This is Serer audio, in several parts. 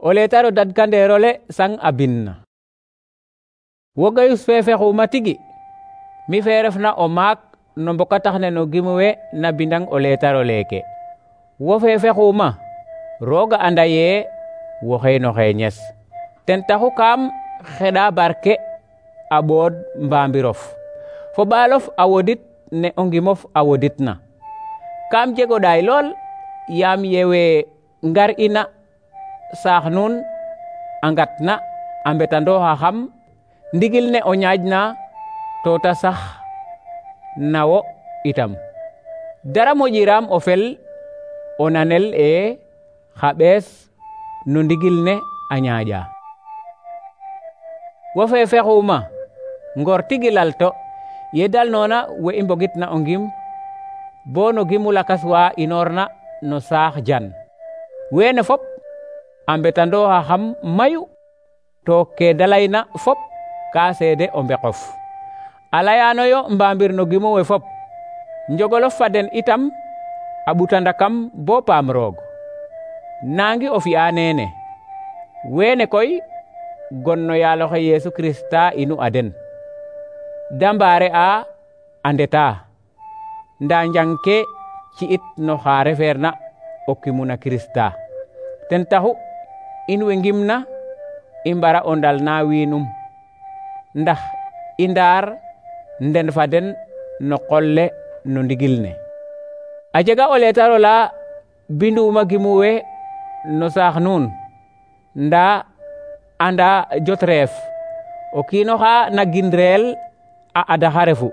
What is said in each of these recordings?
O letaro dadkanderole sang a binna. Wo Gayus fe fexuma tigi, mi fe refna o maak no mbokatax ne no gimu we na bindang o letaro leke. Wo fe fexuma, Rooga anda ye woxey no xeñes. Ten taxu kaam xeɗa barke a ɓood mbambirof, fo ɓaalof a wodit ne o ngimof a woditna. Kaam jego ɗaay lool yaam yewe ngar ina saax nuun a ngatna a mbetandooxa xam ndigil ne o ñaƴna to ta sax na wo itam. Dara moƴiram o fel o nanel xa ɓees no ndigil ne a ñaaƴa. Wo fe fexuma ngor tigi lalto ye dalnona we i mbogitna o ngim bo no gimu lakas wa inoorna no saax jan. Weene fop a mbetandooxa xam mayu to ke da layna fop ka seede o mbeqof. A layanoyo mbambir no gimu we fop, njogolof fa den itam a ɓutandakam bo paam roog. Nangi o fi'a neene, weene koy gon no yaaloxe Yesu Krista inu a den. Da mbaare a ndeta, nda njang ke ci'it no xa refeerna o kimuna Krista. Ten taxu in we ngimna i mbara o ndalna wiinum, ndax i ndaar nden fa den no qol le no ndigil ne. A jega o letaro la binduma gimu we no saax nuun, nda anda jot reef o kiino xa na gindreel a adaxa refu.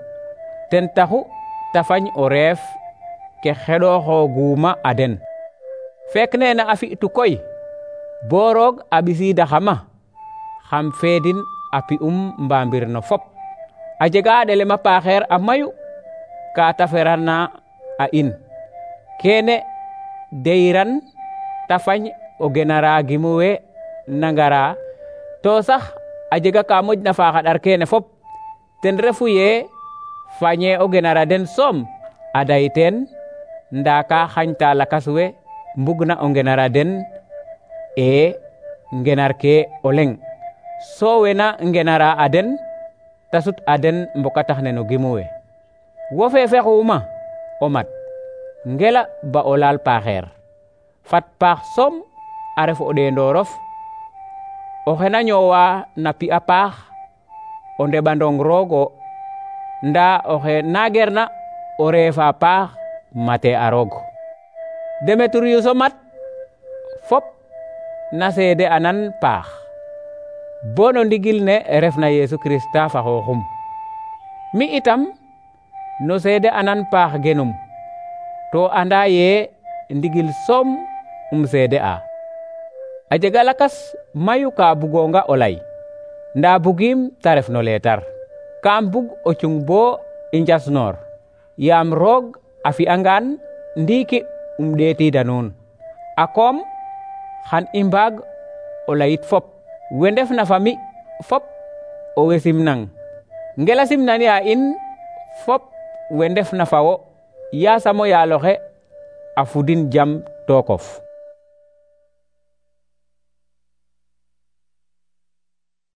Ten taxu ta fañ o reef ke xeɗoxooguma a den. Fek nene a fi'tu koy bo Roog a ɓisiidaxama xam feedin a pi'um mbambir no fop. A jega a ɗelem a paaxeer a mayu ka ta ferana a in. Kene deyiran ta fañ o genara gimu we na ngara, to sax a jega ka moƴna faax a ɗar kene fop. Ten refu ye fañe o genara den soom a day teen, nda ka xañta lakas we mbugna o ngenara den ngenar ke o leŋ. So wena ngenara a den ta sut a den mbokatax ne no gimu we. Wo fe fexuma o mat, ngela ba o laal paaxeer. Fat paax soom a ref o ɗeendorof, oxe na ñoowa na pi'a paax o ndeɓandong Roogo, nda oxe nagerna o reefa paax mate a roog. Demetrius o mat fop na seede anan paax bo no ndigil ne refna Yesu Krista fa xooxum. Mi itam no seede anan paax genum, to anda ye ndigil soom seede a. A jega lakas mayu ka bugonga o lay, nda bugim ta ref no leetar. Kaam bug o cung bo i njasnoor, yaam Roog a fi'angaan ndiiki ɗeetida nuun. A koom xan i mbaag o layit fop. We ndefna fa mi fop o we simnang, ngela simnani a in fop we ndefna fa wo, yasam o yaaloxe a fudin jam tookof.